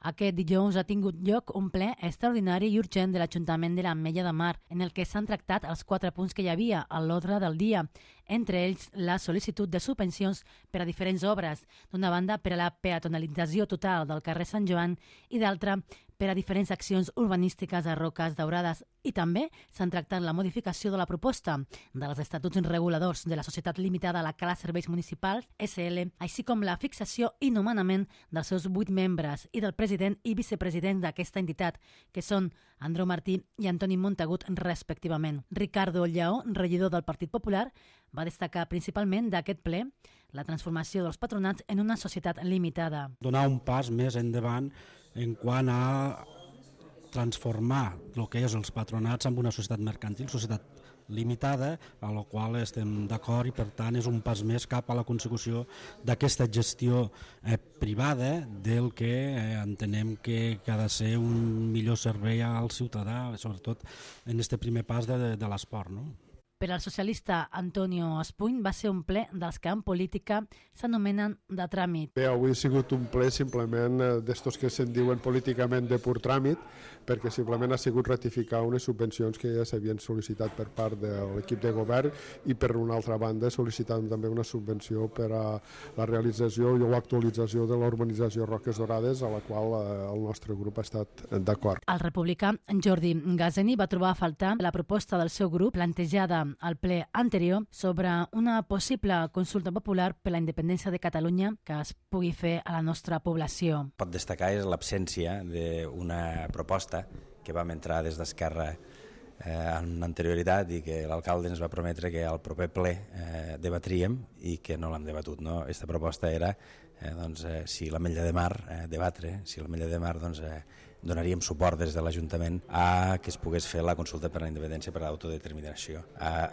Aquest dijous ha tingut lloc un ple extraordinari i urgent de l'Ajuntament de l'Ametlla de Mar, en el que s'han tractat els 4 punts que hi havia a l'ordre del dia, entre ells la sol·licitud de subvencions per a diferents obres, d'una banda per a la peatonalització total del carrer Sant Joan i d'altra per a diferents accions urbanístiques a Roques Daurades, i també s'han tractat la modificació de la proposta dels estatuts reguladors de la Societat Limitada a la Cala Serveis Municipals, SL, així com la fixació i nomenament dels seus 8 membres i del president i vicepresident d'aquesta entitat, que són Andreu Martí i Antoni Montagut, respectivament. Ricardo Lleó, regidor del Partit Popular, va destacar principalment d'aquest ple la transformació dels patronats en una societat limitada. Donar un pas més endavant en quant a transformar el que és els patronats en una societat mercantil, societat limitada, a la qual estem d'acord, i per tant és un pas més cap a la consecució d'aquesta gestió privada del que entenem que ha de ser un millor servei al ciutadà, sobretot en aquest primer pas de l'esport, no? Per al socialista Antonio Espuny va ser un ple dels que en política s'anomenen de tràmit. Bé, avui ha sigut un ple simplement d'estos que se'n diuen políticament de pur tràmit, perquè simplement ha sigut ratificar unes subvencions que ja s'havien sol·licitat per part de l'equip de govern, i per una altra banda sol·licitant també una subvenció per a la realització o actualització de l'urbanització Roques Daurades, a la qual el nostre grup ha estat d'acord. El republicà Jordi Gazeni va trobar a faltar la proposta del seu grup plantejada al ple anterior sobre una possible consulta popular per la independència de Catalunya que es pugui fer a la nostra població. Pot destacar és l'absència d'una proposta que vam entrar des d'Esquerra en anterioritat i que l'alcalde ens va prometre que al proper ple debatríem i que no l'hem debatut. Aquesta proposta era si l'Ametlla de Mar debatre, si l'Ametlla de Mar donaríem suport des de l'Ajuntament a que es pogués fer la consulta per la independència per a l'autodeterminació.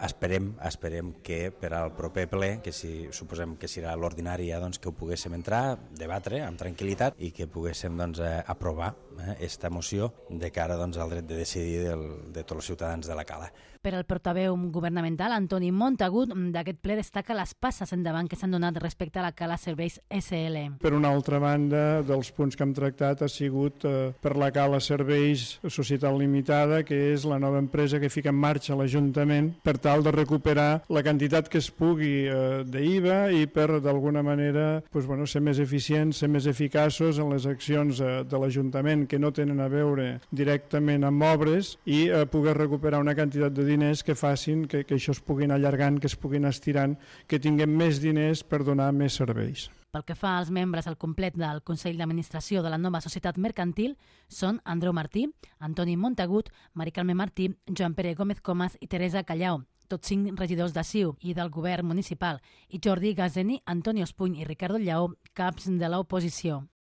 Esperem que per al proper ple, que suposem que serà l'ordinari, que ho poguéssim entrar, debatre amb tranquil·litat i que poguéssim aprovar aquesta moció de cara al dret de decidir de tots els ciutadans de la Cala. Per al portaveu governamental, Antoni Montagut, d'aquest ple destaca les passes endavant que s'han donat respecte a la Cala Serveis SL. Per una altra banda, dels punts que hem tractat ha sigut per la Cala Serveis Societat Limitada, que és la nova empresa que fica en marxa l'Ajuntament per tal de recuperar la quantitat que es pugui d'IVA i per, d'alguna manera, ser més eficients, ser més eficaços en les accions de l'Ajuntament que no tenen a veure directament amb obres, i poder recuperar una quantitat de diners que facin que això es puguin allargant, que es puguin estirant, que tinguem més diners per donar més serveis. Pel que fa als membres al complet del Consell d'Administració de la nova societat mercantil, són Andreu Martí, Antoni Montagut, Mari Carme Martí, Joan Pere Gómez Comas i Teresa Callau, tots 5 regidors de CiU i del govern municipal, i Jordi Gazeni, Antonio Espuny i Ricardo Lleó, caps de l'oposició.